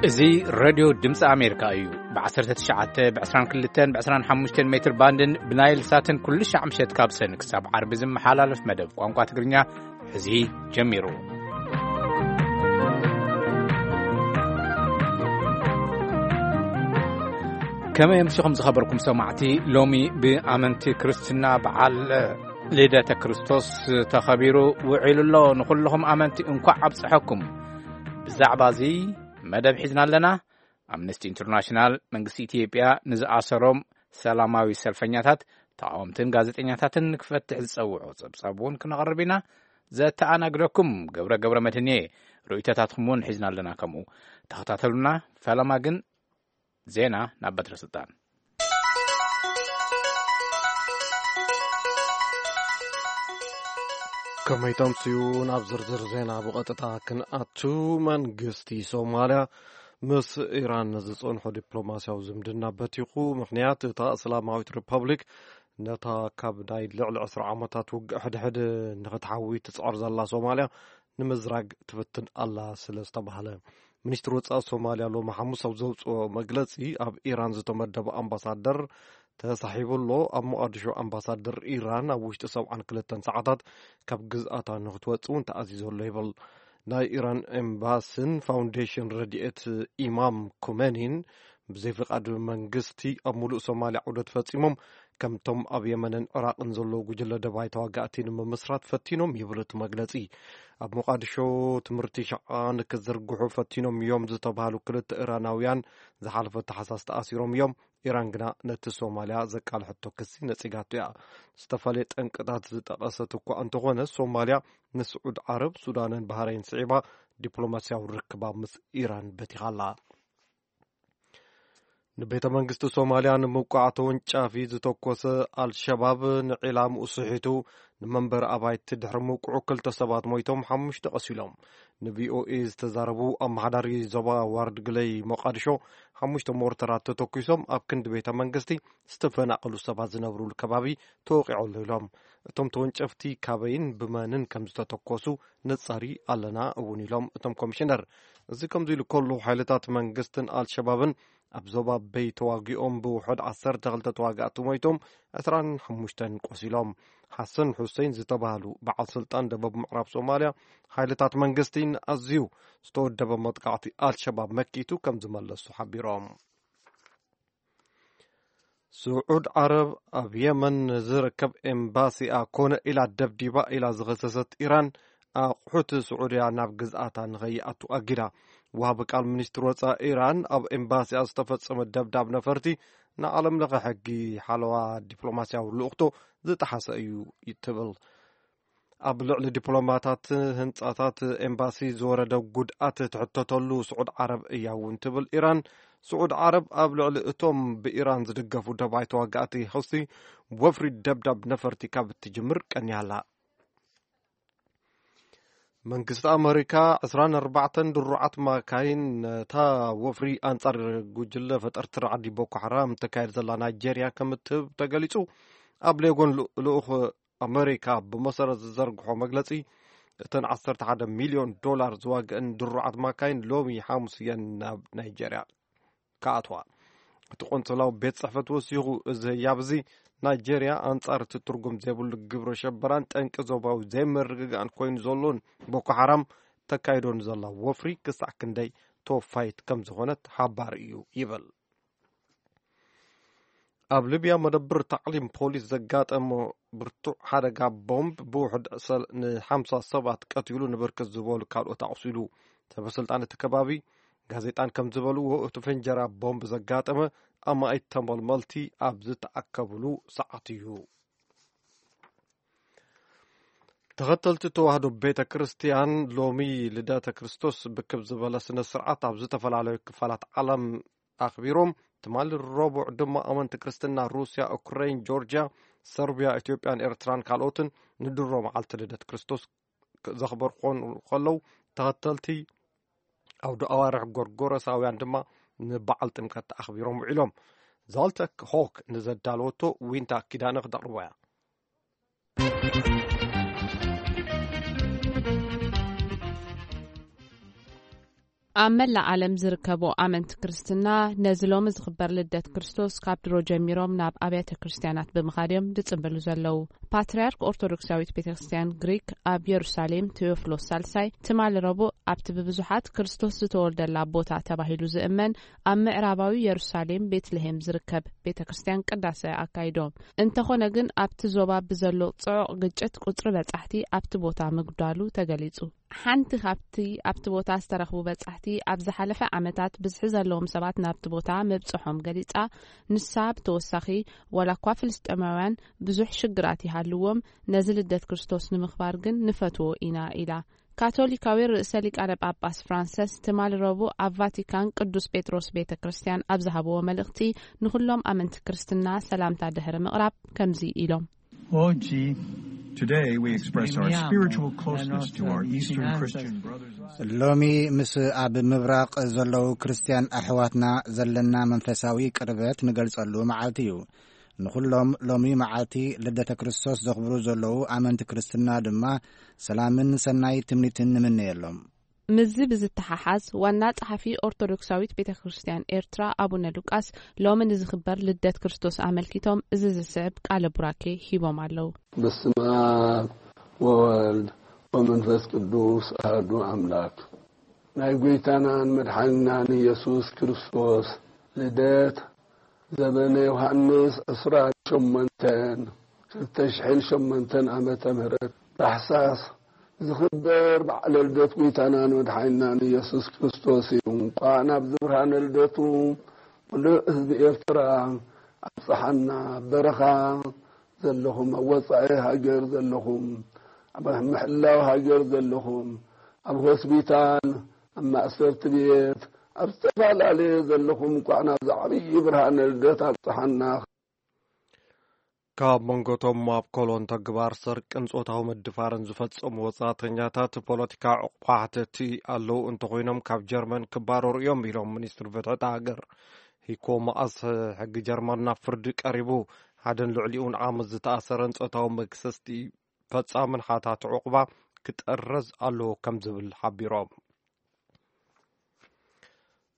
እዚ ሬድዮ ድምፂ ኣሜሪካ እዩ። ብ19፣ ብ22፣ ብ25 ሜትር ባንድን ብናይል ሳትን ኩሉ ሻዕ ምሸት ካብ ሰን ክሳብ ዓርቢ ዝመሓላለፍ መደብ ቋንቋ ትግርኛ ሕዚ ጀሚሩ። ከመይ ኣምሲኹም ዝኸበርኩም ሰማዕቲ? ሎሚ ብኣመንቲ ክርስትና በዓል ልደተ ክርስቶስ ተኸቢሩ ውዒሉ ኣሎ። ንኹልኹም ኣመንቲ እንኳዕ ኣብጽሐኩም። ብዛዕባ እዚ መደብ ሒዝና ኣለና። ኣምነስቲ ኢንተርናሽናል መንግስቲ ኢትዮጵያ ንዝኣሰሮም ሰላማዊ ሰልፈኛታት፣ ተቃወምትን ጋዜጠኛታትን ክፈትሕ ዝጸውዖ ጸብጻብ እውን ክነቕርብ ኢና። ዘተኣናግደኩም ገብረ ገብረ መድህን እየ። ርእይቶታትኩም እውን ሒዝና ኣለና። ከምኡ ተኸታተሉና። ፈለማ ግን ዜና ናብ በትረ ስልጣን። ከመይ ተምስዩ? ናብ ዝርዝር ዜና ብቐጥታ ክንኣቱ። መንግስቲ ሶማልያ ምስ ኢራን ዝጸንሖ ዲፕሎማስያዊ ዝምድና በቲኹ። ምኽንያት፣ እታ እስላማዊት ሪፐብሊክ ነታ ካብ ናይ ልዕሊ ዕስራ ዓመታት ውግእ ሕድሕድ ንኽትሓዊ ትጽዕር ዘላ ሶማልያ ንምዝራግ ትፍትን ኣላ ስለ ዝተባህለ። ሚኒስትሪ ወጻኢ ሶማልያ ሎሚ ሓሙስ ኣብ ዘውጽኦ መግለጺ፣ ኣብ ኢራን ዝተመደበ ኣምባሳደር ተሳሒቡ ኣሎ። ኣብ ሞቓዲሾ ኣምባሳደር ኢራን ኣብ ውሽጢ ሰብዓን ክልተን ሰዓታት ካብ ግዝኣታ ንኽትወጽእ እውን ተኣዚዙ ኣሎ ይብል። ናይ ኢራን ኤምባስን ፋውንዴሽን ረድኤት ኢማም ኩመኒን ብዘይ ፍቓድ መንግስቲ ኣብ ሙሉእ ሶማልያ ዑደት ፈጺሞም፣ ከምቶም ኣብ የመንን ዕራቕን ዘለዉ ጉጅለ ደባይ ተዋጋእቲ ንምምስራት ፈቲኖም ይብል እቲ መግለጺ። ኣብ ሞቓዲሾ ትምህርቲ ሸዓ ንክዝርግሑ ፈቲኖም እዮም ዝተባህሉ ክልተ ኢራናውያን ዝሓለፈ ታሕሳስ ተኣሲሮም እዮም። ኢራን ግና ነቲ ሶማልያ ዘቃልሐቶ ክሲ ነጺጋቶ እያ። ዝተፈላለየ ጠንቅታት ዝጠቐሰት እኳ እንተኾነ፣ ሶማልያ ንስዑድ ዓረብ፣ ሱዳንን ባህረይን ስዒባ ዲፕሎማስያዊ ርክባ ምስ ኢራን በቲኻ ኣላ። ንቤተ መንግስቲ ሶማልያ ንምውቃዕ ተወንጫፊ ዝተኮሰ ኣልሸባብ ንዒላምኡ ስሒቱ ንመንበሪ ኣባይቲ ድሕሪ ምውቅዑ ክልተ ሰባት ሞይቶም፣ ሓሙሽተ ቆሲሎም። ንቪኦኤ ዝተዛረቡ ኣመሓዳሪ ዞባ ዋርድ ግለይ ሞቃዲሾ፣ ሓሙሽተ ሞርተራት ተተኩሶም ኣብ ክንዲ ቤተ መንግስቲ ዝተፈናቐሉ ሰባት ዝነብሩሉ ከባቢ ተወቂዑ ኣሎ ኢሎም። እቶም ተወንጨፍቲ ካበይን ብመንን ከም ዝተተኮሱ ነጻሪ ኣለና እውን ኢሎም እቶም ኮሚሽነር። እዚ ከምዚ ኢሉ ከሎ፣ ሓይልታት መንግስትን ኣልሸባብን ኣብ ዞባ በይ ተዋጊኦም ብውሑድ ዓሰርተ ክልተ ተዋጋእቲ ሞይቶም፣ ዕስራን ሓሙሽተን ቆሲሎም። ሓሰን ሑሴን ዝተባህሉ በዓል ስልጣን ደቡብ ምዕራብ ሶማልያ፣ ሓይልታት መንግስቲ ንኣዝዩ ዝተወደበ መጥቃዕቲ ኣልሸባብ መኪቱ ከም ዝመለሱ ሓቢሮም። ስዑድ ዓረብ ኣብ የመን ዝርከብ ኤምባሲኣ ኮነ ኢላ ደብዲባ ኢላ ዝኸሰሰት ኢራን፣ ኣቑሑት ስዑድያ ናብ ግዝኣታ ንኸይኣቱ ኣጊዳ። ወሃቢ ቃል ሚኒስትሪ ወጻኢ ኢራን፣ ኣብ ኤምባሲኣ ዝተፈጸመ ደብዳብ ነፈርቲ ንዓለም ለኸ ሕጊ ሓለዋ ዲፕሎማስያዊ ልኡኽቶ ዝጠሓሰ እዩ ትብል። ኣብ ልዕሊ ዲፕሎማታት፣ ህንጻታት ኤምባሲ ዝወረደ ጉድኣት ትሕተተሉ ስዑድ ዓረብ እያ እውን ትብል ኢራን። ስዑድ ዓረብ ኣብ ልዕሊ እቶም ብኢራን ዝድገፉ ደባይ ተዋጋእቲ ሑሲ ወፍሪ ደብዳብ ነፈርቲ ካብ እትጅምር ቀንያ ኣላ። መንግስቲ ኣመሪካ ዕስራን ኣርባዕተን ድሩዓት ማካይን ነታ ወፍሪ ኣንጻር ጉጅለ ፈጠርቲ ራዕዲ ቦኮ ሓራም ተካየድ ዘላ ናይጄርያ ከም እትህብ ተገሊጹ። ኣብ ሌጎን ልኡ-፣ ልኡኽ ኣመሪካ ብመሰረት ዝዘርግሖ መግለጺ፣ እተን ዓሰርተ ሓደ ሚልዮን ዶላር ዝዋግአን ድሩዓት ማካይን ሎሚ ሓሙስ እየን ናብ ናይጄርያ ክኣትዋ። እቲ ቆንስላዊ ቤት ጽሕፈት ወሲኹ፣ እዚ ህያብ እዚ ናይጄርያ ኣንጻር እቲ ትርጉም ዘይብሉ ግብረ ሸበራን ጠንቂ ዞባዊ ዘይምርግጋእን ኮይኑ ዘሎን ቦኮ ሓራም ተካይዶ ንዘላ ወፍሪ ክሳዕ ክንደይ ተወፋይት ከም ዝኾነት ሓባሪ እዩ ይብል። ኣብ ሊብያ መደብር ታዕሊም ፖሊስ ዘጋጠመ ብርቱዕ ሓደጋ ቦምብ ብውሑድ ሰል-፣ ንሓምሳ ሰባት ቀቲሉ፣ ንብርክት ዝበሉ ካልኦት ኣቑሲሉ። ሰበስልጣን እቲ ከባቢ ጋዜጣን ከም ዝበልዎ፣ እቲ ፍንጀራ ቦምብ ዘጋጠመ ኣማኢት ተመልመልቲ ኣብ ዝተኣከብሉ ሰዓት እዩ። ተኸተልቲ ተዋህዶ ቤተ ክርስቲያን ሎሚ ልደተ ክርስቶስ ብክብ ዝበለ ስነ ስርዓት ኣብ ዝተፈላለዩ ክፋላት ዓለም ኣኽቢሮም። ትማሊ ረቡዕ ድማ ኣመንቲ ክርስትና ሩስያ፣ ኡክረይን፣ ጆርጅያ፣ ሰርቢያ፣ ኢትዮጵያን ኤርትራን ካልኦትን ንድሮ መዓልቲ ልደት ክርስቶስ ዘኽበሩ ክኾኑ ከለዉ፣ ተኸተልቲ ኣውደ ኣዋርሕ ጎርጎረሳውያን ድማ ንበዓል ጥምቀት ኣኽቢሮም ውዒሎም። ዛልተክ ሆክ ንዘዳለወቶ ዊንታ ኪዳነ ክተቕርቦ እያ። ኣብ መላእ ዓለም ዝርከቡ ኣመንቲ ክርስትና ነዚ ሎሚ ዝኽበር ልደት ክርስቶስ ካብ ድሮ ጀሚሮም ናብ ኣብያተ ክርስቲያናት ብምኻድ እዮም ዝጽንብሉ ዘለዉ። ፓትርያርክ ኦርቶዶክሳዊት ቤተ ክርስቲያን ግሪክ ኣብ የሩሳሌም ቴዎፍሎስ ሳልሳይ ትማሊ ረቡዕ ኣብቲ ብብዙሓት ክርስቶስ ዝተወልደላ ቦታ ተባሂሉ ዝእመን ኣብ ምዕራባዊ የሩሳሌም ቤትልሄም ዝርከብ ቤተ ክርስቲያን ቅዳሴ ኣካይዶም። እንተኾነ ግን ኣብቲ ዞባ ብዘሎ ጽዑቕ ግጭት ቁጽሪ በጻሕቲ ኣብቲ ቦታ ምጉዳሉ ተገሊጹ። ሓንቲ ካብቲ ኣብቲ ቦታ ዝተረኽቡ በጻሕቲ ኣብ ዝሓለፈ ዓመታት ብዝሒ ዘለዎም ሰባት ናብቲ ቦታ ምብጽሖም ገሊጻ፣ ንሳ ብተወሳኺ ዋላ እኳ ፍልስጤማውያን ብዙሕ ሽግራት ይሃልዎም፣ ነዚ ልደት ክርስቶስ ንምኽባር ግን ንፈትዎ ኢና ኢላ። ካቶሊካዊ ርእሰ ሊቃነ ጳጳስ ፍራንሰስ ትማሊ ረቡዕ ኣብ ቫቲካን ቅዱስ ጴጥሮስ ቤተ ክርስቲያን ኣብ ዝሃብዎ መልእኽቲ ንኹሎም ኣመንቲ ክርስትና ሰላምታ ድሕሪ ምቕራብ ከምዚ ኢሎም። Oggi, today, we express our spiritual closeness to our Eastern Christian brothers and sisters. ሎሚ ምስ ኣብ ምብራቕ ዘለዉ ክርስትያን ኣሕዋትና ዘለና መንፈሳዊ ቅርበት ንገልጸሉ መዓልቲ እዩ። ንኹሎም ሎሚ መዓልቲ ልደተ ክርስቶስ ዘኽብሩ ዘለዉ ኣመንቲ ክርስትና ድማ ሰላምን ሰናይ ትምኒትን ንምነየሎም። ምስዚ ብዝተሓሓዝ ዋና ጸሓፊ ኦርቶዶክሳዊት ቤተ ክርስቲያን ኤርትራ ኣቡነ ሉቃስ ሎሚ ንዝኽበር ልደት ክርስቶስ ኣመልኪቶም እዚ ዝስዕብ ቃለ ቡራኬ ሂቦም ኣለዉ። በስመ አብ ወወልድ ወመንፈስ ቅዱስ አሐዱ አምላክ። ናይ ጎይታናን መድሓኒናን ኢየሱስ ክርስቶስ ልደት ዘበነ ዮሃንስ ዕስራን ሸሞንተን ክልተ ሽሕን ሸሞንተን ዓመተ ምህረት ታሕሳስ ዝኽበር በዓለ ልደት ጎይታናን መድሓኒናን ኢየሱስ ክርስቶስ እዩ። እንቋዕ ናብዚ ብርሃነ ልደቱ ምሉእ ህዝቢ ኤርትራ ኣብጽሓና። በረኻ ዘለኹም፣ ኣብ ወጻኢ ሃገር ዘለኹም፣ ኣብ ምሕላው ሃገር ዘለኹም፣ ኣብ ሆስፒታል፣ ኣብ ማእሰርቲ ቤት፣ ኣብ ዝተፈላለየ ዘለኹም እንኳዕ ናብዚ ዓብዪ ብርሃነ ልደት ኣብጽሓና። ካብ መንጎቶም ኣብ ኮሎን ተግባር ስርቅን ጾታዊ ምድፋርን ዝፈጸሙ ወጻእተኛታት ፖለቲካ ዕቑባ ሓተቲ ኣለዉ እንተኾይኖም ካብ ጀርመን ክባረሩ እዮም ኢሎም ሚኒስትር ፍትሒ እታ ሃገር። ሂኮ መኣስ ሕጊ ጀርመን ናብ ፍርዲ ቀሪቡ ሓደን ልዕሊኡን ዓመት ዝተኣሰረን ጾታዊ መግሰስቲ ፈጻምን ሓታት ዕቑባ ክጠረዝ ኣለዎ ከም ዝብል ሓቢሮም።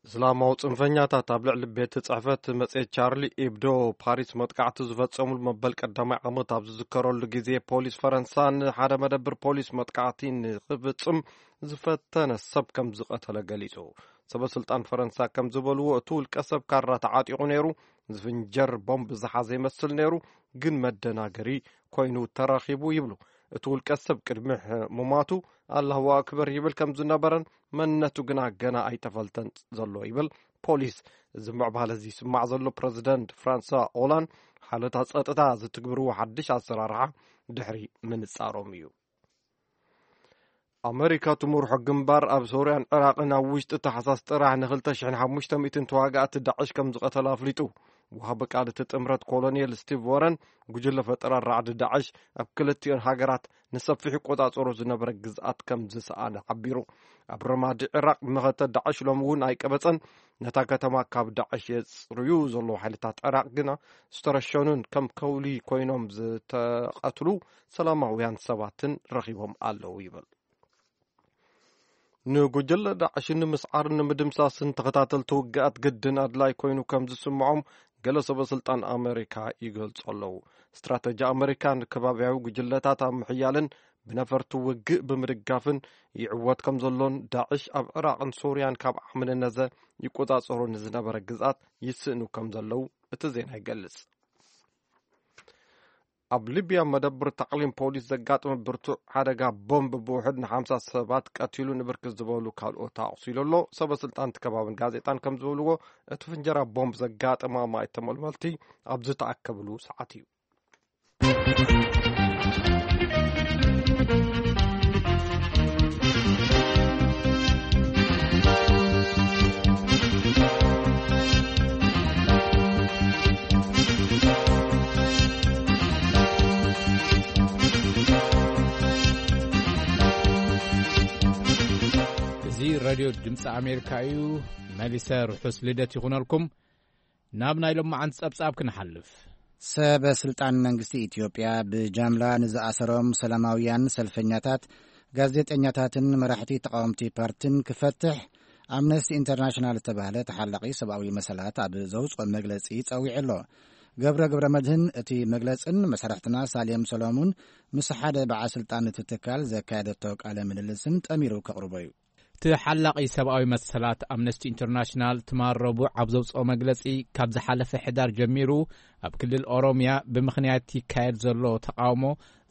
እስላማዊ ጽንፈኛታት ኣብ ልዕሊ ቤት ጽሕፈት መጽሔት ቻርሊ ኤብዶ ፓሪስ መጥቃዕቲ ዝፈጸሙሉ መበል ቀዳማይ ዓመት ኣብ ዝዝከረሉ ግዜ ፖሊስ ፈረንሳ ንሓደ መደብር ፖሊስ መጥቃዕቲ ንኽፍጽም ዝፈተነ ሰብ ከም ዝቐተለ ገሊጹ። ሰበ ስልጣን ፈረንሳ ከም ዝበልዎ እቲ ውልቀ ሰብ ካራ ተዓጢቑ ነይሩ፣ ዝፍንጀር ቦምብ ዝሓዘ ይመስል ነይሩ፣ ግን መደናገሪ ኮይኑ ተረኺቡ ይብሉ። እቲ ውልቀ ሰብ ቅድሚ ሕ- ምሟቱ ኣላሁ ኣክበር ይብል ከም ዝነበረን መንነቱ ግና ገና ኣይተፈልጠን ዘሎ ይብል ፖሊስ። እዚ ምዕባለ እዚ ይስማዕ ዘሎ ፕረዚደንት ፍራንሳ ኦላንድ ሓለታት ጸጥታ ዝትግብርዎ ሓድሽ ኣሰራርሓ ድሕሪ ምንጻሮም እዩ። ኣመሪካ ትምርሖ ግንባር ኣብ ሶርያን ዕራቕን ኣብ ውሽጢ ታሕሳስ ጥራሕ ን ክልተ ሽሕን ሓሙሽተ ሚእትን ተዋጋእቲ ዳዕሽ ከም ዝቐተለ ኣፍሊጡ። ወሃቢ ቃል እቲ ጥምረት ኮሎኔል ስቲቭ ወረን ጉጅለ ፈጠራ ራዕዲ ዳዕሽ ኣብ ክልቲኦን ሃገራት ንሰፊሕ ቆጻጽሮ ዝነበረ ግዝኣት ከም ዝሰኣነ ሓቢሩ። ኣብ ረማዲ ዕራቕ መኸተ ዳዕሽ ሎሚ እውን ኣይቀበጸን። ነታ ከተማ ካብ ዳዕሽ የጽርዩ ዘለዉ ሓይልታት ዕራቕ ግና ዝተረሸኑን ከም ከውሊ ኮይኖም ዝተቐትሉ ሰላማውያን ሰባትን ረኺቦም ኣለዉ ይብል። ንጉጅለ ዳዕሽ ንምስዓርን ንምድምሳስን ተኸታተልቲ ውግኣት ግድን ኣድላይ ኮይኑ ከም ዝስምዖም ገለ ሰበ ስልጣን ኣመሪካ ይገልጹ ኣለዉ። ስትራተጂ ኣመሪካ ንከባብያዊ ጉጅለታት ኣብ ምሕያልን ብነፈርቲ ውግእ ብምድጋፍን ይዕወት ከም ዘሎን ዳዕሽ ኣብ ዕራቕን ሶርያን ካብ ዓሚ ንነዘ ይቆጻጸሩ ንዝነበረ ግዝኣት ይስእኑ ከም ዘለዉ እቲ ዜና ይገልጽ። ኣብ ሊብያ መደብር ታዕሊም ፖሊስ ዘጋጠመ ብርቱዕ ሓደጋ ቦምብ ብውሕድ ንሓምሳ ሰባት ቀቲሉ ንብርክት ዝበሉ ካልኦት ኣቑሲሉ ኣሎ። ሰበ ስልጣን እቲ ከባብን ጋዜጣን ከም ዝበልዎ እቲ ፍንጀራ ቦምብ ዘጋጠመ ኣማኢት ተመልመልቲ ኣብ ዝተኣከብሉ ሰዓት እዩ። እዚ ሬድዮ ድምፂ ኣሜሪካ እዩ። መሊሰ ርሑስ ልደት ይኹነልኩም። ናብ ናይ ሎማዓንቲ ጸብጻብ ክንሓልፍ። ሰበ ስልጣን መንግስቲ ኢትዮጵያ ብጃምላ ንዝኣሰሮም ሰላማውያን ሰልፈኛታት፣ ጋዜጠኛታትን መራሕቲ ተቃወምቲ ፓርትን ክፈትሕ ኣምነስቲ ኢንተርናሽናል ዝተባህለ ተሓላቒ ሰብኣዊ መሰላት ኣብ ዘውፅኦ መግለፂ ጸዊዑ ኣሎ። ገብረ ገብረ መድህን እቲ መግለጽን መሳርሕትና ሳሌም ሰሎሙን ምስ ሓደ በዓል ስልጣን እቲ ትካል ዘካየደቶ ቃለ ምልልስን ጠሚሩ ከቕርቦ እዩ። ተሓላቒ ሰብኣዊ መሰላት ኣምነስቲ ኢንተርናሽናል ትማል ረቡዕ ኣብ ዘውፅኦ መግለጺ፣ ካብ ዝሓለፈ ሕዳር ጀሚሩ ኣብ ክልል ኦሮምያ ብምኽንያት ይካየድ ዘሎ ተቓውሞ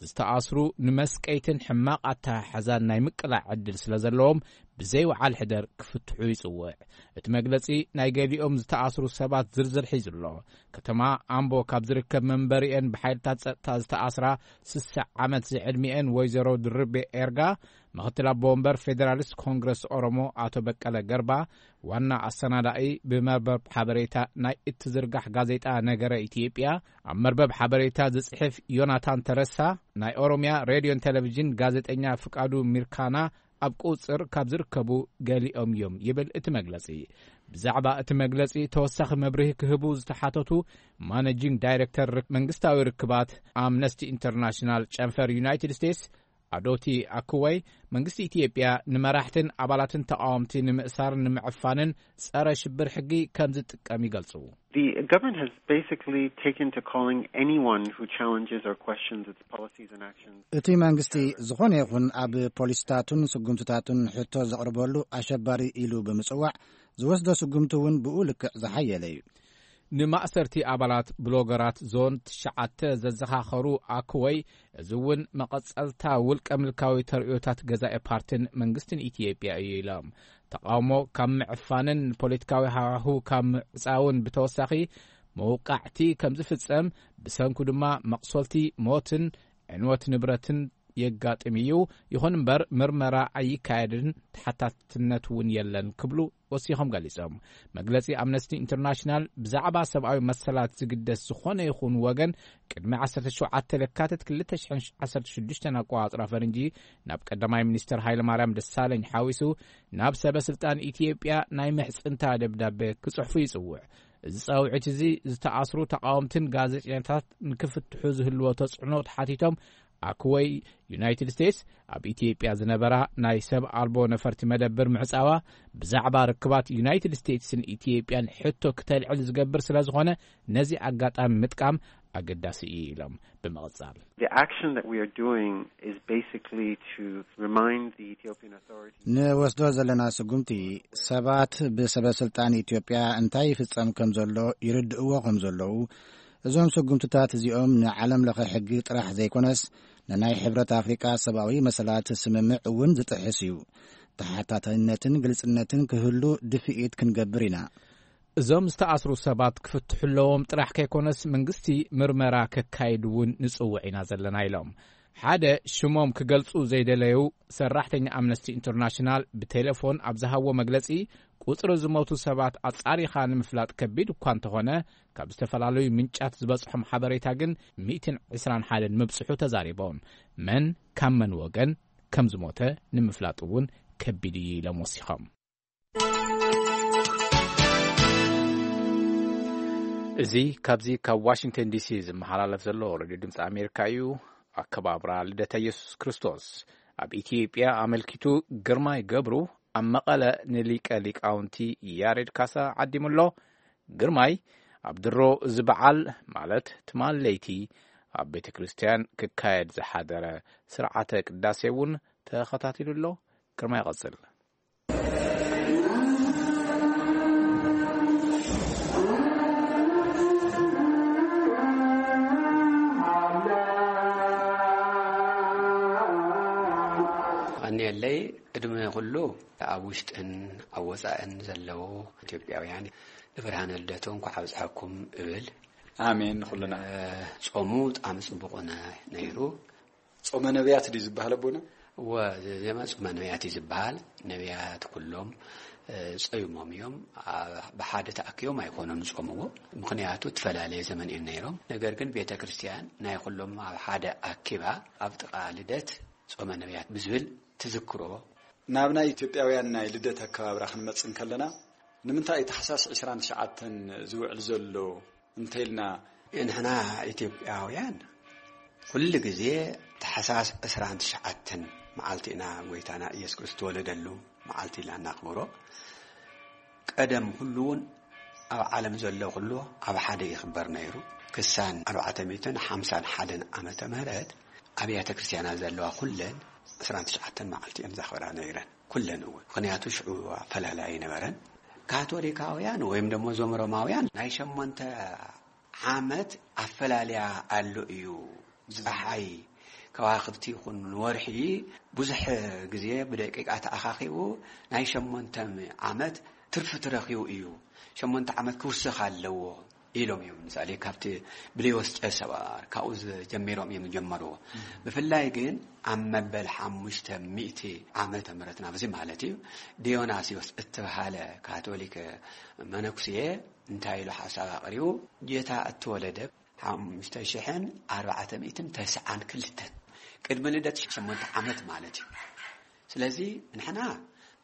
ዝተኣስሩ፣ ንመስቀይትን ሕማቕ ኣተሓሕዛን ናይ ምቅላዕ ዕድል ስለ ዘለዎም ብዘይወዓል ሕደር ክፍትሑ ይጽውዕ። እቲ መግለጺ ናይ ገሊኦም ዝተኣስሩ ሰባት ዝርዝር ሒዙ ኣሎ። ከተማ ኣምቦ ካብ ዝርከብ መንበሪኤን ብሓይልታት ጸጥታ ዝተኣስራ ስሳ ዓመት ዝዕድሚኤን ወይዘሮ ድርቤ ኤርጋ፣ ምኽትል ኣቦ ወንበር ፌዴራሊስት ኮንግረስ ኦሮሞ ኣቶ በቀለ ገርባ፣ ዋና ኣሰናዳኢ ብመርበብ ሓበሬታ ናይ እትዝርጋሕ ጋዜጣ ነገረ ኢትዮጵያ፣ ኣብ መርበብ ሓበሬታ ዝጽሕፍ ዮናታን ተረሳ፣ ናይ ኦሮምያ ሬድዮን ቴሌቪዥን ጋዜጠኛ ፍቃዱ ሚርካና ኣብ ቁጽር ካብ ዝርከቡ ገሊኦም እዮም ይብል እቲ መግለጺ። ብዛዕባ እቲ መግለጺ ተወሳኺ መብርሂ ክህቡ ዝተሓተቱ ማኔጂንግ ዳይሬክተር ርክ-፣ መንግስታዊ ርክባት ኣምነስቲ ኢንተርናሽናል ጨንፈር ዩናይትድ ስቴትስ ኣዶቲ ኣክወይ፣ መንግስቲ ኢትዮጵያ ንመራሕትን ኣባላትን ተቃወምቲ ንምእሳርን ንምዕፋንን ጸረ ሽብር ሕጊ ከም ዝጥቀም ይገልጹ። The government has basically taken to calling anyone who challenges or questions its policies and actions. እቲ መንግስቲ ዝኾነ ይኹን ኣብ ፖሊሲታቱን ስጉምትታቱን ሕቶ ዘቕርበሉ ኣሸባሪ ኢሉ ብምጽዋዕ ዝወስዶ ስጉምቲ እውን ብኡ ልክዕ ዝሓየለ እዩ። ንማእሰርቲ ኣባላት ብሎገራት ዞን ትሽዓተ ዘዘኻኸሩ ኣክወይ፣ እዚ እውን መቐጸልታ ውልቀ ምልካዊ ተርእዮታት ገዛኢ ፓርትን መንግስትን ኢትዮጵያ እዩ ኢሎም። ተቃውሞ ካብ ምዕፋንን ንፖለቲካዊ ሃዋሁ ካብ ምዕጻውን ብተወሳኺ፣ መውቃዕቲ ከም ዝፍጸም፣ ብሰንኩ ድማ መቕሶልቲ፣ ሞትን ዕንወት ንብረትን የጋጥም እዩ። ይኹን እምበር ምርመራ ኣይካየድን፣ ተሓታትነት እውን የለን ክብሉ ወሲኾም ገሊጾም። መግለጺ ኣምነስቲ ኢንተርናሽናል ብዛዕባ ሰብኣዊ መሰላት ዝግደስ ዝኾነ ይኹን ወገን ቅድሚ ዓሰርተ ሸውዓተ ለካቲት ክልተ ሽሕን ዓሰርተ ሽዱሽተን ኣቆጻጽራ ፈረንጂ ናብ ቀዳማይ ሚኒስትር ሃይለማርያም ደሳለኝ ሓዊሱ ናብ ሰበ ስልጣን ኢትዮጵያ ናይ ምሕጽንታ ደብዳቤ ክጽሕፉ ይጽውዕ። እዚ ጻውዒት እዚ ዝተኣስሩ ተቃወምትን ጋዜጠኛታት ንክፍትሑ ዝህልዎ ተጽዕኖ ተሓቲቶም ኣክወይ፣ ዩናይትድ ስቴትስ ኣብ ኢትዮጵያ ዝነበራ ናይ ሰብ ኣልቦ ነፈርቲ መደብር ምዕጻዋ ብዛዕባ ርክባት ዩናይትድ ስቴትስን ኢትዮጵያን ሕቶ ክተልዕል ዝገብር ስለ ዝኾነ ነዚ ኣጋጣሚ ምጥቃም ኣገዳሲ እዩ ኢሎም ብምቕጻል። The action that we are doing is basically to remind the Ethiopian authorities. ንወስዶ ዘለና ስጉምቲ ሰባት ብሰበ ስልጣን ኢትዮጵያ እንታይ ይፍጸም ከም ዘሎ ይርድእዎ ከም ዘለዉ፣ እዞም ስጉምትታት እዚኦም ንዓለም ለኸ ሕጊ ጥራሕ ዘይኮነስ ንናይ ሕብረት ኣፍሪቃ ሰብኣዊ መሰላት ስምምዕ እውን ዝጥሕስ እዩ። ተሓታታይነትን ግልጽነትን ክህሉ ድፍኢት ክንገብር ኢና። እዞም ዝተኣስሩ ሰባት ክፍትሑ ኣለዎም ጥራሕ ከይኮነስ መንግስቲ ምርመራ ከካይድ እውን ንጽውዕ ኢና ዘለና ኢሎም። ሓደ ሽሞም ክገልጹ ዘይደለዩ ሰራሕተኛ ኣምነስቲ ኢንተርናሽናል ብቴሌፎን ኣብ ዝሃቦ መግለጺ፣ ቁጽሪ ዝሞቱ ሰባት ኣጻሪኻ ንምፍላጥ ከቢድ እኳ እንተኾነ፣ ካብ ዝተፈላለዩ ምንጫት ዝበጽሖም ሓበሬታ ግን ሚእትን ዕስራን ሓደን ምብጽሑ ተዛሪቦም። መን ካብ መን ወገን ከም ዝሞተ ንምፍላጥ እውን ከቢድ እዩ ኢሎም ወሲኾም። እዚ ካብዚ ካብ ዋሽንግተን ዲሲ ዝመሓላለፍ ዘሎ ሬድዮ ድምፂ ኣሜሪካ እዩ። ኣከባብራ ልደተ ኢየሱስ ክርስቶስ ኣብ ኢትዮጵያ ኣመልኪቱ ግርማይ ገብሩ ኣብ መቐለ ንሊቀ ሊቃውንቲ ያሬድ ካሳ ዓዲሙ ኣሎ። ግርማይ፣ ኣብ ድሮ እዚ በዓል ማለት ትማል ለይቲ ኣብ ቤተ ክርስቲያን ክካየድ ዝሓደረ ስርዓተ ቅዳሴ እውን ተኸታቲሉ ኣሎ። ግርማይ ይቐጽል። ቀንየለይ፣ ቅድሚ ኩሉ ኣብ ውሽጥን ኣብ ወጻእን ዘለዉ ኢትዮጵያውያን ንብርሃነ ልደቱ እንኳዕ ኣብጽሐኩም እብል። ኣሜን። ንኹልና። እ፣ ጾሙ ብጣዕሚ ጽቡቕ ነ-፣ ነይሩ። ጾመ ነቢያት ድዩ ዝበሃል ኣቦና? እወ፣ ዜማ ጾመ ነቢያት እዩ ዝበሃል። ነቢያት ኩሎም፣ እ፣ ጾይሞም እዮም። ኣ-፣ ብሓደ ተኣኪቦም ኣይኮኑን ዝጾምዎ። ምኽንያቱ እተፈላለየ ዘመን እዮም ነይሮም። ነገር ግን ቤተ ክርስቲያን ናይ ኩሎም ኣብ ሓደ ኣኪባ ኣብ ጥቓ ልደት ጾመ ነቢያት ብዝብል ትዝክሮ። ናብ ናይ ኢትዮጵያውያን ናይ ልደት ኣከባብራ ክንመጽእ እንከለና፣ ንምንታይ እዩ ታሕሳስ ዕስራን ትሽዓተን ዝውዕል ዘሎ እንተኢልና? ንሕና ኢትዮጵያውያን ኩሉ ግዜ ታሕሳስ ዕስራን ትሽዓተን መዓልቲ ኢና ጎይታና ኢየሱስ ክርስቶስ ዝተወለደሉ መዓልቲ ኢልና እናኽብሮ። ቀደም ኩሉ እውን ኣብ ዓለም ዘሎ ኩሉ ኣብ ሓደ ይኽበር ነይሩ። ክሳን ኣርባዕተ ሚእትን ሓምሳን ሓደን ዓመተ ምህረት ኣብያተ ክርስቲያናት ዘለዋ ኩለን ዕስራን ትሽዓተን መዓልቲ እየን ዘኽብራ ነይረን። ኩለን እውን። ምኽንያቱ ሽዑ ኣፈላላይ ኣይነበረን። ካቶሊካውያን ወይም ደሞ እዞም ሮማውያን ናይ ሸሞንተ ዓመት ኣፈላልያ ኣሎ እዩ። ፀሓይ፣ ከዋኽብቲ ይኹን ወርሒ ብዙሕ ግዜ ብደቂቃ ተኣኻኺቡ ናይ ሸሞንተ ዓመት ትርፊ ትረኺቡ እዩ። ሸሞንተ ዓመት ክውሰኽ ኣለዎ ኢሎም እዮም። ምሳሌ ካብቲ ብሌዎስ ቄሳር ካብኡ ጀሚሮም እዮም ዝጀመርዎ። ብፍላይ ግን ኣብ መበል ሓሙሽተ ሚእቲ ዓመተ ምህረት ናብዚ ማለት እዩ፣ ዲዮናስዮስ እተባሃለ ካቶሊክ መነኩስየ እንታይ ኢሉ ሓሳብ ኣቕሪቡ? ጌታ እተወለደ ሓሙሽተ ሽሕን ኣርባዕተ ሚእትን ተስዓን ክልተን ቅድሚ ልደት ሸሞንተ ዓመት ማለት እዩ። ስለዚ ንሕና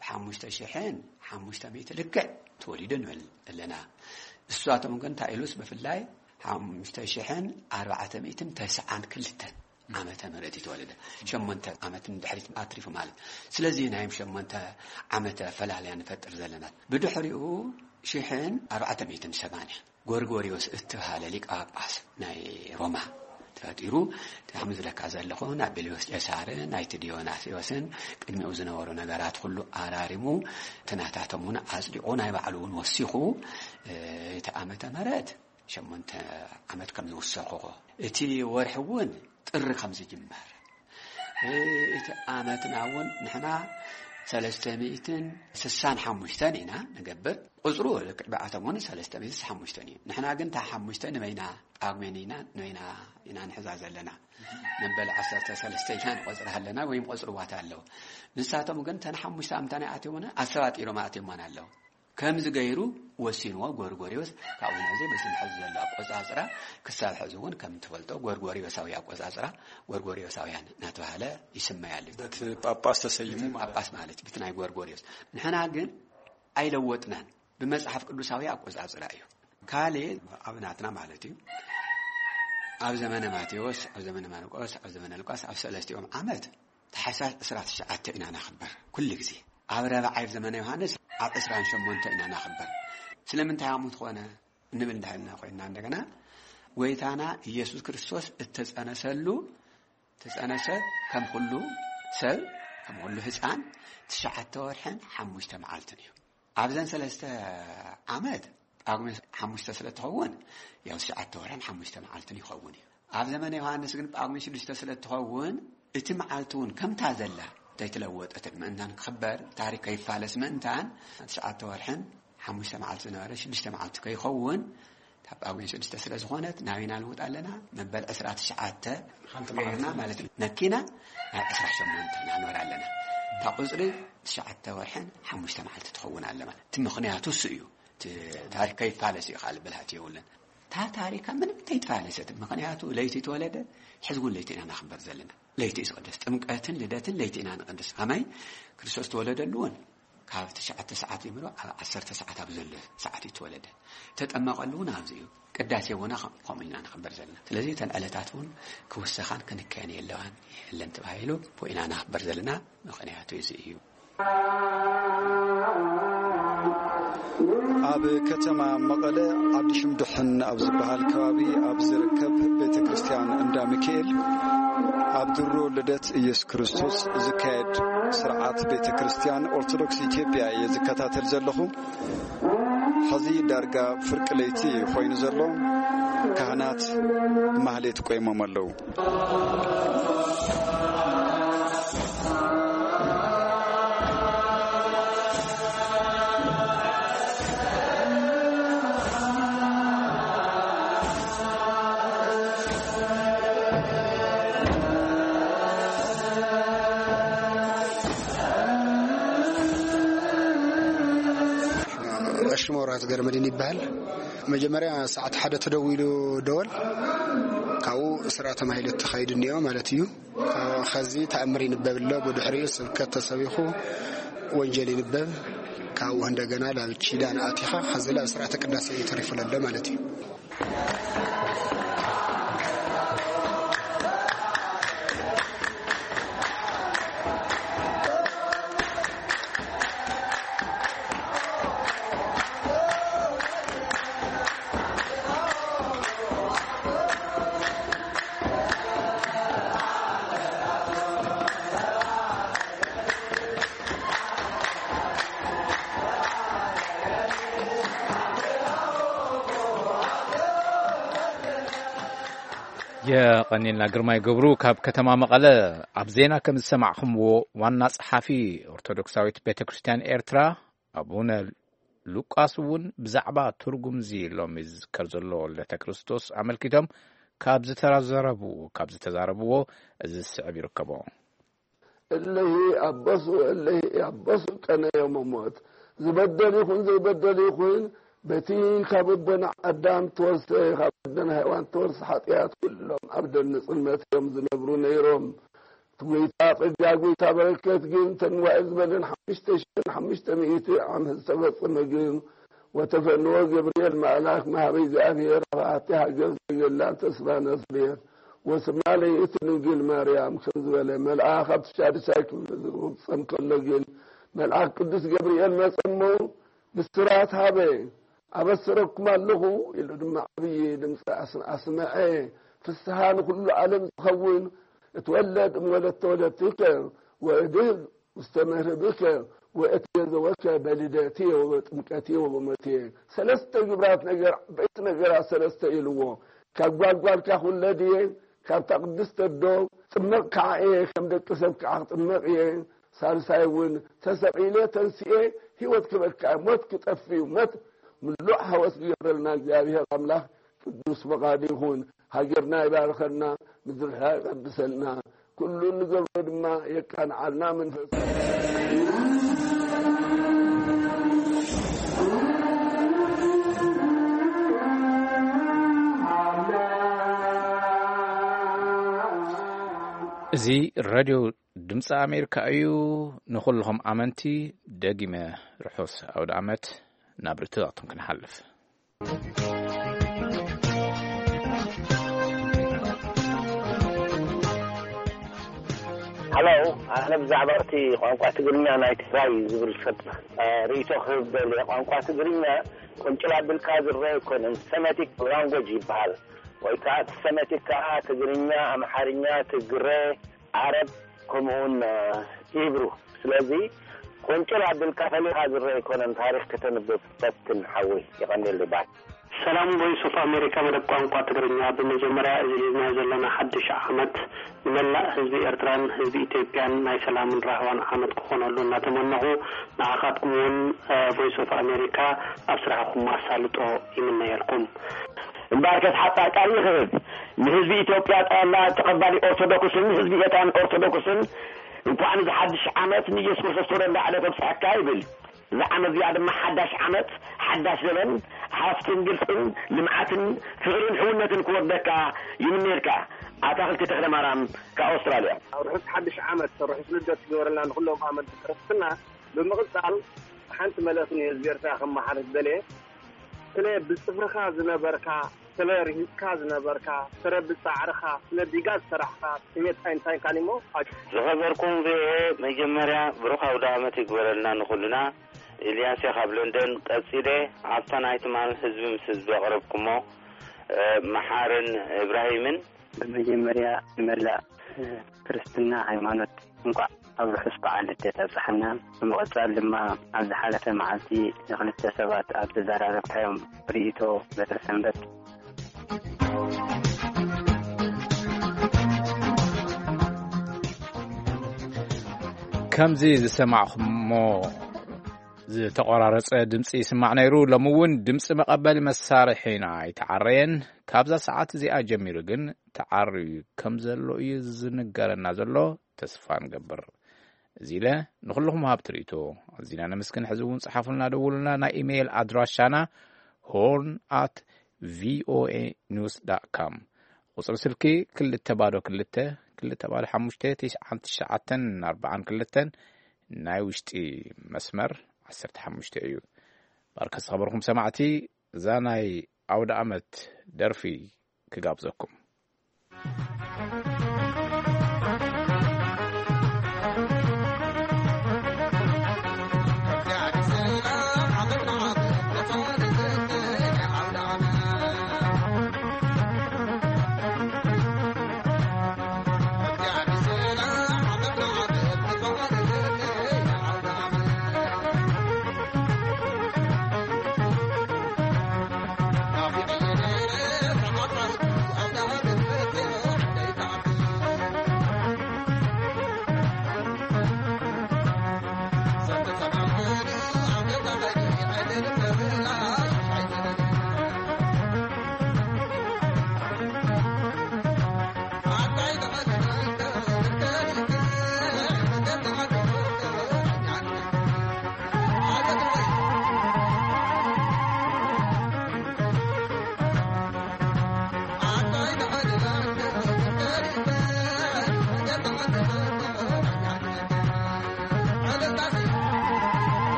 ብሓሙሽተ ሽሕን ሓሙሽተ ሚእቲ ልክዕ ተወሊዱ ንብል ኣለና። እሳቶም ግን እንታይ ኢሉስ ብፍላይ ሓሙሽተ ሽሕን ኣርባዕተ ሚእትን ተስዓን ክልተን ዓመተ ምህረት እዩ ተወለደ። ሸሞንተ ዓመት ንድሕሪት ኣትሪፉ ማለት። ስለዚ ናይም ሸሞንተ ዓመተ ፈላልያ ንፈጥር ዘለና። ብድሕሪኡ ሽሕን ኣርባዕተ ሚእትን ሰማንያ ጎርጎሪዮስ እተባሃለ ሊቀ ጳጳስ ናይ ሮማ ተፈጢሩ። እቲ ከም ዝብለካ ዘለኹ ናብ ቤልዮስ ቄሳርን ናይቲ ዲዮናስዮስን ቅድሚኡ ዝነበሩ ነገራት ኩሉ ኣራሪሙ፣ እቲ ናታቶም እውን ኣጽዲቑ፣ ናይ ባዕሉ እውን ወሲኹ፣ እ፣ እቲ ዓመተ ምህረት ሸሞንተ ዓመት ከም ዝውሰኹ፣ እቲ ወርሒ እውን ጥሪ ከም ዝጅመር፣ እ፣ እቲ ዓመትና እውን ንሕና ሰለስተ ሚእትን ስሳን ሓሙሽተን ኢና ንገብር። ቁጽሩ ልክዕ ብኣቶም እውን ሰለስተ ሚእትን ስሳን ሓሙሽተን እዩ። ንሕና ግን እታ ሓሙሽተ ንበይና ጳጉሜን ኢና፣ ንበይና ኢና ንሕዛ ዘለና። መበል ዓሰርተ ሰለስተ ኢና ንቆጽራ ኣለና፣ ወይም ቆጽርዋት ኣለዉ። ንሳቶም ግን እተን ሓሙሽተ ኣምታና ኣትዮምና ኣሰባጢሮም ኣትዮማን ኣለዉ። ከምዚ ገይሩ ወሲንዎ ጎርጎሪዮስ። ካብኡ ነዚ በዚ ሕዚ ዘሎ ኣቆጻጽራ ክሳብ ሕዚ እውን ከም ትፈልጦ ጎርጎሪዮሳዊ ኣቆጻጽራ፣ ጎርጎሪዮሳውያን እናተባህለ ይስመይ ኣሎ። በቲ ጳጳስ ተሰይሙ በቲ ማለት ጳጳስ ማለት እዩ፣ በቲ ናይ ጎርጎሪዮስ። ንሕና ግን ኣይለወጥናን። ብመጽሓፍ ቅዱሳዊ ኣቆጻጽራ እዩ። ካልእ ኣብ ናትና ማለት እዩ። ኣብ ዘመነ ማቴዎስ፣ ኣብ ዘመነ ማርቆስ፣ ኣብ ዘመነ ሉቃስ ኣብ ሰለስቲኦም ዓመት ታሕሳስ ዕስራ ትሽዓተ ኢና ነኽብር ኩሉ ግዜ። ኣብ ረብዓይ ኣብ ዘመነ ዮሃንስ ኣብ ዕስራን ሸሞንተ ኢና ነኽብር። ስለምንታይ ኣሙት ኾነ እንብል እንዳሃልና ኮይንና እንደገና ጎይታና ኢየሱስ ክርስቶስ እተጸነሰሉ፣ ተጸነሰ ከም ኩሉ ሰብ፣ ከም ኩሉ ህጻን ትሽዓተ ወርሕን ሓሙሽተ መዓልትን እዩ። ኣብዘን ሰለስተ ዓመት ጳጉሜ ሓሙሽተ ስለ ትኸውን ያው ትሽዓተ ወርሕን ሓሙሽተ መዓልትን ይኸውን እዩ። ኣብ ዘመነ ዮሃንስ ግን ጳጉሜ ሽዱሽተ ስለ ትኸውን እቲ መዓልቲ እውን ከምታ ዘላ ዘይተለወጠት ምእንታን ክኽበር፣ ታሪክ ከይፋለስ ምእንታን ትሽዓተ ወርሕን ሓሙሽተ መዓልቲ ዝነበረ ሽዱሽተ መዓልቲ ከይኸውን ካብ ጳጉሜ ሽዱሽተ ስለ ዝኾነት ናበይና ልውጥ ኣለና? መበል ዕስራ ትሽዓተ ሓንቲ ገይርና መዓልቲ ማለት እዩ። ነኪና ናብ ዕስራ ሸሞንተ ናንበር ኣለና። እታ ቁጽሪ ትሽዓተ ወርሕን ሓሙሽተ መዓልቲ ትኸውን ኣለ ማለት። እቲ ምኽንያቱ እሱ እዩ። እቲ ታሪክ ከይፋለስ እዩ፣ ካልእ ብልሃት የብሉን። እታ ታሪካ ምንም ተይተፋለሰት። ምኽንያቱ ለይቲ ተወለደ፣ ሕዚ እውን ለይቲ ኢና ናኽበር ዘለና። ለይቲ እዩ ዝቕደስ። ጥምቀትን ልደትን ለይቲ ኢና ንቕድስ። ከመይ? ክርስቶስ ተወለደሉ እውን ካብ ትሽዓተ ሰዓት ጀምሮ ኣብ ዓሰርተ ሰዓት ኣብ ዘሎ ሰዓት እዩ ተወለደ። ተጠመቐሉ እውን ኣብዚ እዩ። ቅዳሴ እውን ከም-፣ ከምኡ ኢና ንኽበር ዘለና። ስለዚ እተን ዕለታት እውን ክውሰኻን ክንከየን የለዋን የለን ተባሂሉ ብኡ ኢና ንኽበር ዘለና። ምኽንያቱ እዚ እዩ። ኣብ ከተማ መቐለ ዓዲ ሽምዱሕን ኣብ ዝበሃል ከባቢ ኣብ ዝርከብ ቤተ ክርስቲያን እንዳ ሚካኤል ኣብ ድሮ ልደት ኢየሱስ ክርስቶስ ዝካየድ ስርዓት ቤተ ክርስቲያን ኦርቶዶክስ ኢትዮጵያ እየ ዝከታተል ዘለኹ። ሕዚ ዳርጋ ፍርቂ ለይቲ ኮይኑ ዘሎ፣ ካህናት ማህሌት ቆይሞም ኣለዉ። ቀሺ መብራህቱ ገረመድህን ይበሃል። መጀመርያ ሰዓት ሓደ ተደዊሉ ደወል፣ ካብኡ ስርዓተ ማህሌት ተኻይዱ እኒኦ ማለት እዩ። ካብኡ ኸዚ ተኣምር ይንበብ ኣሎ፣ ብድሕሪኡ ስብከት ተሰቢኹ ወንጀል ይንበብ። ካብኡ እንደገና ላብ ኪዳን ኣቲኻ ኸዚ ላብ ስርዓተ ቅዳሴ እዩ ተሪፉ ለሎ ማለት እዩ። የቐኒልና ግርማይ ገብሩ ካብ ከተማ መቐለ። ኣብ ዜና ከም ዝሰማዕኹምዎ፣ ዋና ጸሓፊ ኦርቶዶክሳዊት ቤተ ክርስቲያን ኤርትራ ኣቡነ ሉቃስ እውን ብዛዕባ ትርጉም እዚ ሎሚ ዝዝከር ዘሎ ልደተ ክርስቶስ ኣመልኪቶም ካብ ዝተዘረቡ-፣ ካብ ዝተዛረብዎ እዚ ዝስዕብ ይርከቦ። እለሂ ኣበሱ፣ እለሂ ኣበሱ ቀነ ዮም ሞት። ዝበደል ይኹን ዘይበደል ይኹን፣ በቲ ካብ ኣቦና ኣዳም ተወርሰ፣ ካብ ኣደና ሔዋን ተወርሰ ሓጢኣት ኩሎም ኣብ ደን ጽልመት እዮም ዝነብሩ ነይሮም። እቲ ጐይታ ጸጋ፣ ጐይታ በረከት ግን፣ ተንዋኤ ዝበለን ሓሙሽተ ሽሕን ሓሙሽተ ሚእቲ ዓመት ዝተፈጸመ ግን፣ ወተፈንዎ ገብርኤል መልኣክ መሃበ እግዚኣብሔር ኣብ ኣቲ ሃገር ዘገላ ተስፋ ናዝሬት ወስማ ለይእቲ ድንግል ማርያም ከም ዝበለ፣ መልኣክ ኣብቲ ሻድሻይ ክፍሊ ዝፍጸም ከሎ ግን፣ መልኣክ ቅዱስ ገብርኤል መጸ እሞ፣ ብስራት ሃበ፣ ኣበስረኩም ኣለኹ ኢሉ ድማ ዓብዪ ድምፂ ኣስ-፣ ኣስመዐ። ፍስሃ ንኹሉ ዓለም ዝኸውን፣ እትወለድ እምወለተ ወለትከ ወእድግ ውስተ መርህብከ ወእትቤዘወከ በልደትየ ወበጥምቀትየ ወበሞትየ። ሰለስተ ግብራት ነገር፣ ዓበይቲ ነገራት ሰለስተ ኢልዎ። ካብ ጓልጓልካ ክውለድ እየ፣ ካብታ ቅድስቲ ኣዶ ጥመቕ ከዓ እየ፣ ከም ደቂ ሰብ ከዓ ክጥመቕ እየ። ሳልሳይ እውን ተሰቒለ ተንስኤ ህይወት ክበካ፣ ሞት ክጠፍእ እዩ። ሞት ምሉእ ሓወስ ዝገብረልና እግዚኣብሔር ኣምላኽ ቅዱስ ፈቓዱ ይኹን። ሃገርና ይባርኸልና፣ ምድርና ይቐድሰልና፣ ኩሉ እንገብሮ ድማ የቃንዓልና። መንፈስ እዚ ሬድዮ ድምፂ ኣሜሪካ እዩ። ንኹልኹም ኣመንቲ ደጊመ ርሑስ ኣውደ ኣመት። ናብ ርትዕቱም ክንሓልፍ። ሃሎ፣ ኣነ ብዛዕባ እቲ ቋንቋ ትግርኛ ናይ ትግራይ ዝብል ሰብ፣ እ፣ ርእይቶ ክህብ ደልየ። ቋንቋ ትግርኛ ቁንጭል ኣቢልካ ዝረአ ኣይኮነን፣ ሰሜቲክ ላንጎጅ ይበሃል። ወይ ከዓ እቲ ሰሜቲክ ከዓ ትግርኛ፣ ኣምሓርኛ፣ ትግረ፣ ዓረብ፣ ከምኡውን፣ እ፣ ሂብሩ። ስለዚ ቁንጭል ኣቢልካ ፈሊኻ ዝረአ ኣይኮነን፣ ታሪኽ ከተንብብ ፈትን ሓወይ። የቐንየለይ ባይ። ሰላም ቮይስ ኦፍ ኣሜሪካ መደብ ቋንቋ ትግርኛ። ብመጀመርያ እዚ ሒዝናዮ ዘለና ሓድሽ ዓመት ንመላእ ህዝቢ ኤርትራን ህዝቢ ኢትዮጵያን ናይ ሰላምን ራህዋን ዓመት ክኾነሉ እናተመነኹ፣ ንዓኻትኩም እውን፣ እ፣ ቮይስ ኦፍ ኣሜሪካ ኣብ ስራሕኹም ኣሳልጦ ይምነየልኩም። እምበኣርከስ ሓጻር ቃል ይኽህብ። ንህዝቢ ኢትዮጵያ ጠቕላላ ተቐባሊ ኦርቶዶክስን ህዝቢ ኤርትራን ኦርቶዶክስን እንኳዕ ንዚ ሓድሽ ዓመት ንኢየሱስ ክርስቶስ ተወለደ ዕለት ኣብጽሐካ ይብል። እዛ ዓመት እዚኣ ድማ ሓዳሽ ዓመት፣ ሓዳሽ ዘበን፣ ሃፍትን ግልጽን፣ ልምዓትን፣ ፍቕርን ሕውነትን ክወርደካ ይምነየልካ። ኣታኽልቲ ተኽለ ማርያም ካብ ኣውስትራልያ። ርሑስ ሓድሽ ዓመት፣ ርሑስ ልደት ይግበረልና ንኹሎም ኣመንቲ ክርስትና። ብምቕጻል ሓንቲ መልእኽቲ ንህዝቢ ኤርትራ ከመሓላልፍ ደልየ። ስለ ብጽፍርኻ ዝነበርካ፣ ስለ ርሂጽካ ዝነበርካ፣ ስለ ብጻዕርኻ፣ ስለ ዲጋ ዝሰራሕካ፣ ስሜት ኣይንታይን ካሊሞ። ዝኸበርኩም ቪኦኤ፣ መጀመርያ ብሩኽ ኣውደ ዓመት ይግበረልና ንኹልና። ኢልያስ እየ ካብ ለንደን። ቀጺለ ኣብታ ናይ ትማል ህዝቢ ምስ ህዝቢ ኣቕረብኩሞ፣ እ፣ መሓርን እብራሂምን። ብመጀመርያ ንመላእ፣ እ፣ ክርስትና ሃይማኖት እንኳዕ ኣብ ርሑስ በዓል ልደት ኣብጽሓና። ብምቕጻል ድማ ኣብ ዝሓለፈ መዓልቲ ንኽልተ ሰባት ኣብ ዘዘራረብካዮም ርእይቶ በትረ ሰንበት። ከምዚ ዝሰማዕኹሞ ዝተቖራረጸ ድምጺ ይስማዕ ነይሩ። ሎሚ እውን ድምጺ መቐበሊ መሳርሒና ኣይተዓረየን። ካብዛ ሰዓት እዚኣ ጀሚሩ ግን ተዓርዩ ከም ዘሎ እዩ ዝንገረና ዘሎ። ተስፋ ንገብር። እዚ ኢለ ንኹልኹም ሃብቲ ርእይቶ ኣዚና ነመስግን። ሕዚ እውን ጸሓፉልና፣ ደውሉልና። ናይ ኢሜይል ኣድራሻና ሆርን ኣት ቪኦኤ ኒውስ ዳት ካም። ቁጽሪ ስልኪ ክልተ ባዶ ክልተ፣ ክልተ ባዶ ሓሙሽተ፣ ትሽዓን ትሽዓተን ኣርባዓን ክልተን፣ ናይ ውሽጢ መስመር ዓሰርተ ሓሙሽተ እዩ። ባርከ ዝኸበርኩም ሰማዕቲ፣ እዛ ናይ ኣውደ ኣመት ደርፊ ክጋብዘኩም።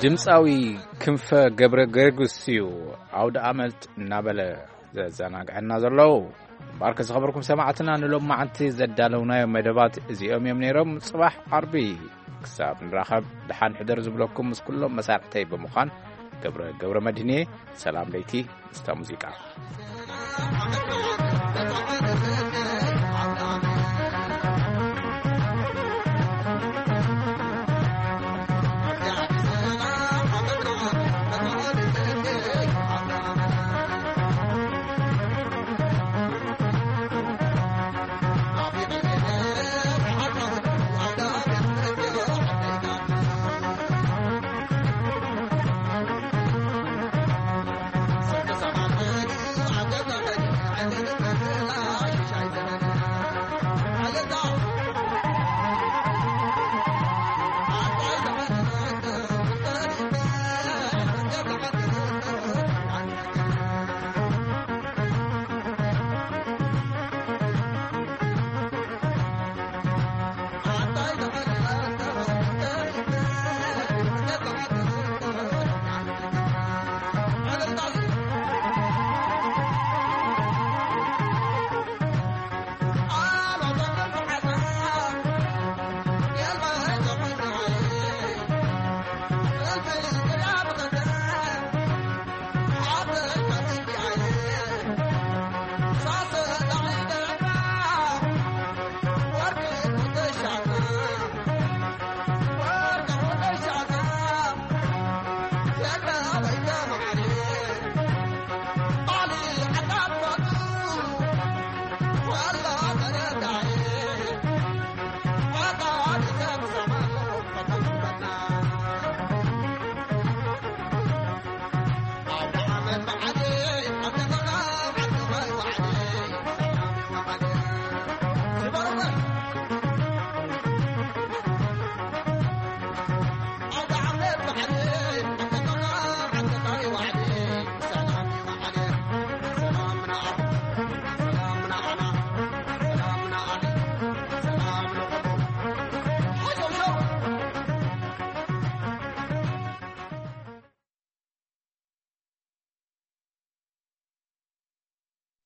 ድምፃዊ ክንፈ ገብረ ገርግስ እዩ ኣውደ ኣመት እናበለ ዘዘናግዐና ዘለዉ። እምበኣርከ ዝኸበርኩም ሰማዕትና፣ ንሎም መዓንቲ ዘዳለውናዮ መደባት እዚኦም እዮም ነይሮም። ጽባሕ ዓርቢ ክሳብ ንራኸብ፣ ደሓን ሕደር ዝብለኩም ምስ ኩሎም መሳርሕተይ ብምዃን፣ ገብረ ገብረ መድህንየ፣ ሰላም ለይቲ ምስታ ሙዚቃ።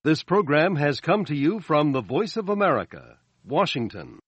This program has come to you from the Voice of America, Washington.